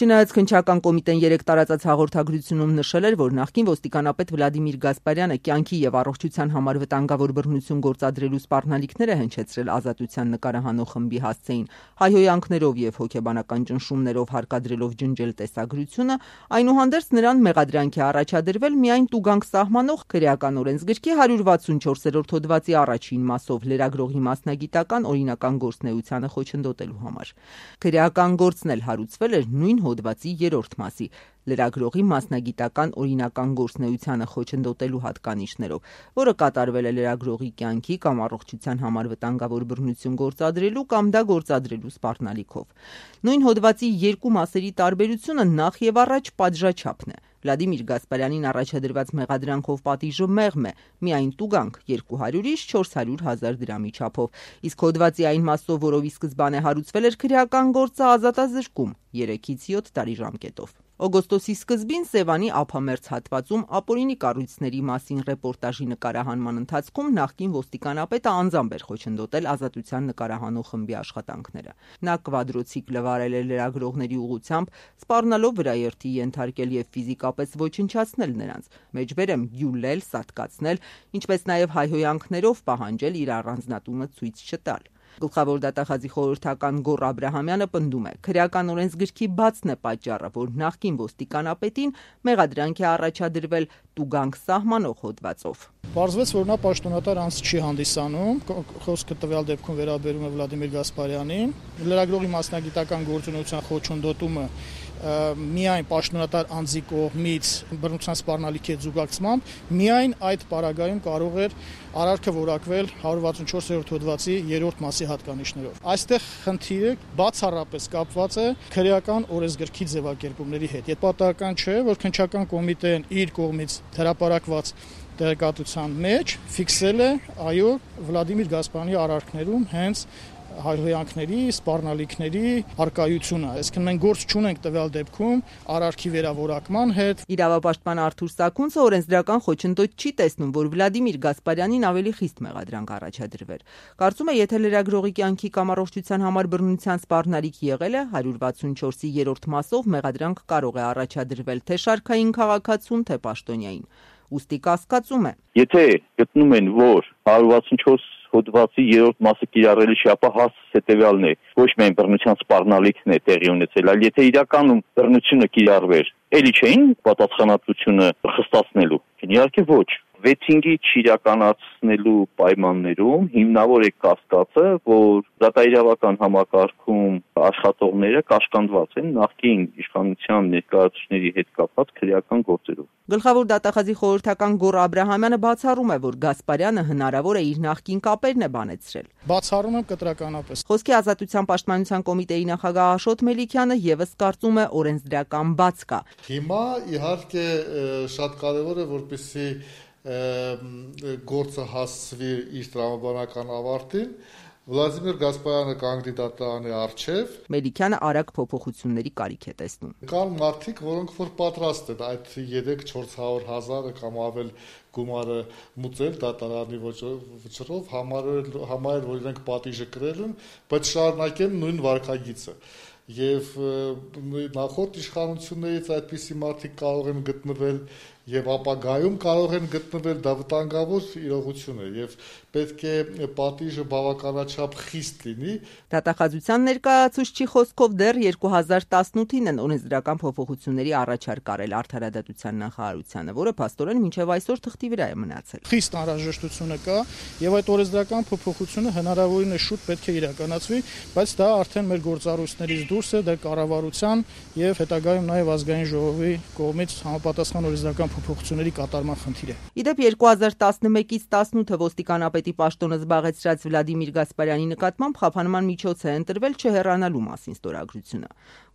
Չնայած քննչական կոմիտեն 3 տարածած հաղորդագրությունում նշել էր, որ նախկին ոստիկանապետ Վլադիմիր Գասպարյանը կյանքի եւ առողջության համար վտանգավոր բռնություն գործադրելու սպառնալիքները հնչեցրել ազատության նկարահանող խմբի հասցեին, հայհոյանքներով եւ հոգեբանական ճնշումներով հարկադրելով ջնջել տեսագրությունը, այնուհանդերձ նրան մեղադրանքի առաջադրվել միայն տուգանք սահմանող քրեական օրենսգրքի 164-րդ հոդվածի առաջին մասով լրագրողի մասնագիտական օրինական գործունեությանը խոչընդոտելու համար։ Քրեական գործն էլ հարուցվել էր նույն հոդվածի 3-րդ մասի լրագրողի մասնագիտական օրինական գործունեությանը խոչընդոտելու հատկանիշներով, որը կատարվել է լրագրողի կյանքի կամ առողջության համար վտանգավոր բռնություն գործադրելու կամ դա գործադրելու սպառնալիքով։ Նույն հոդվածի 2 մասերի տարբերությունը նախ եւ առաջ պատժաչափն է։ Վլադիմիր Գասպարյանին առաջադրված մեղադրանքով պատիժը մեղմ է, միայն տուգանք 200-ից 400,000 դրամի չափով, իսկ հոդվածի այն մասով, որով ի սկզբանե հարուցվել էր քրեական գործը, ազատազրկում 3-ից 7 տարի ժամկետով։ Օգոստոսի սկզբին Սևանի ափամերձ հատվածում ապօրինի կառույցների մասին ռեպորտաժի նկարահանման ընթացքում նախկին ոստիկանապետը անձամբ էր խոչընդոտել ազատության նկարահանող խմբի աշխատանքները։ Նա կվադրոցիկլը վարել էր լրագրողների ուղղությամբ, սպառնալով վրաերթի ենթարկել եւ ֆիզիկապես ոչնչացնել նրանց, մեջբերեմ գյուլել, սատկացնել, ինչպես նաեւ հայհոյանքներով պահանջել իր առանձնատունը ցույց չտալ։ Գլխավոր դատախազի խորհրդական Գոռ Աբրահամյանը պնդում է, քրեական օրենսգրքի բացն է պատճառը, որ նախկին ոստիկանապետին մեղադրանք է առաջադրվել տուգանք սահմանող հոդվածով։ Պարզվեց, որ նա պաշտոնատար անձ չի հանդիսանում, խոսքը տվյալ դեպքում վերաբերում է Վլադիմիր Գասպարյանին, լրագրողի մասնագիտական գործունեության խոչընդոտումը միայն պաշտոնատար անձի կողմից բռնության սպառնալիքի հետ զուգակցությամբ, միայն այդ պարագայում կարող էր արարքը որակվել 164-րդ հոդվածի 3-րդ մասի հատկանիշներով։ Այստեղ խնդիրը բացառապես կապված է քրեական օրենսգրքի ձևակերպումների հետ։ Եվ պատահական չէ, որ քննչական կոմիտեն իր կողմից հրապարակված տեղեկատվության մեջ ֆիքսել է, այո, Վլադիմիր Գասպարյանի արարքներում հենց հայհոյանքների, սպառնալիքների արկայությունը։ Այսինքն մենք գործ չունենք տվյալ դեպքում արարքի վերավորակման հետ։ Իրավապաշտպան Արթուր Սաքունցը օրենսդրական խոչընդոտ չի տեսնում, որ Վլադիմիր Գասպարյանին ավելի խիստ մեղադրանք առաջադրվեր։ Կարծում է, եթե լրագրողի կյանքի կամ առողջության համար բռնության սպառնալիք եղել է, 164-ի 3-րդ մասով մեղադրանք կարող է առաջադրվել թե շարքային քաղաքացուն, թե պաշտոնյային։ Ուստի կասկածում է. Եթե գտնում են, որ 164 հոդվածի 3-րդ մասը կիրառելի չի, ապա հասցեը հետևյալն է, ոչ միայն բռնության սպառնալիքն է տեղի ունեցել, այլ եթե իրականում բռնությունը կիրառվեր, էլի չէին պատասխանատվությունը խստացնելու։ Իհարկե ոչ։ Վեթինգի չիրականացնելու պայմաններում հիմնավոր է կասկածը, որ դատաիրավական համակարգում աշխատողները կաշկանդված են նախկին իշխանության ներկայացուցիչների հետ կապված քրեական գործերով։ Գլխավոր դատախազի խորհրդական Գոռ Աբրահամյանը բացառում է, որ Գասպարյանը հնարավոր է իր նախկին կապերն է բանեցրել։ Բացառում եմ կտրականապես։ Խոսքի ազատության պաշտպանության կոմիտեի նախագահ Աշոտ Մելիքյանը եւս կարծում է օրենսդրական բաց կա։ Հիմա իհարկե շատ կարևոր է, որպեսզի գործը հասցվի իր տրամաբանական ավարտին, Վլադիմիր Գասպարյանը կանգնի դատարանի առջև։ Մելիքյանը արագ փոփոխությունների կարիք է տեսնում։ Կան մարդիկ, որոնք որ պատրաստ են այդ 3-400,000 կամ ավել գումարը մուծել դատարանի վճռով, համարել, որ իրենք պատիժը կրել են, բայց շարունակեն նույն վարքագիծը։ Եվ նախորդ իշխանություններից այդպիսի մարդիկ կարող են գտնվել եւ ապագայում կարող են գտնվել, դա վտանգավոր իրողություն է եւ պետք է պատիժը բավականաչափ խիստ լինի։ Դատախազության ներկայացուցչի խոսքով դեռ 2018-ին են օրենսդրական փոփոխությունների առաջարկ արել Արդարադատության նախարարությանը, որը փաստորեն մինչև այսօր թղթի վրա է մնացել։ Խիստ անհրաժեշտությունը կա եւ այդ օրենսդրական փոփոխությունը հնարավորինս շուտ պետք է իրականացվի, բայց դա արդեն մեր գործառույթներից դուրս է, դա կառավարության եւ հետագայում նաեւ ազգային ժողովի կողմից համապատասխան օրենսդրական փոփոխությունների կատարման խնդիր է։ Իդեպ 2011-ից 18-ը ոստիկանապետի պաշտոնը զբաղեցրած Վլադիմիր Գասպարյանի նկատմամբ խափանման միջոց է ընտրվել չհեռանալու մասին ստորագրությունը։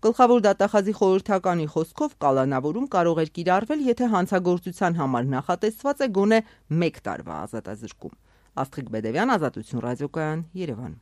Գլխավոր դատախազի խորհրդականի խոսքով կալանավորում կարող էր կիրառվել, եթե հանցագործության համար նախատեսված է գոնե 1 տարվա ազատազրկում։ Աստղիկ Բեդևյան, Ազատություն ռադիոկայան, Երևան։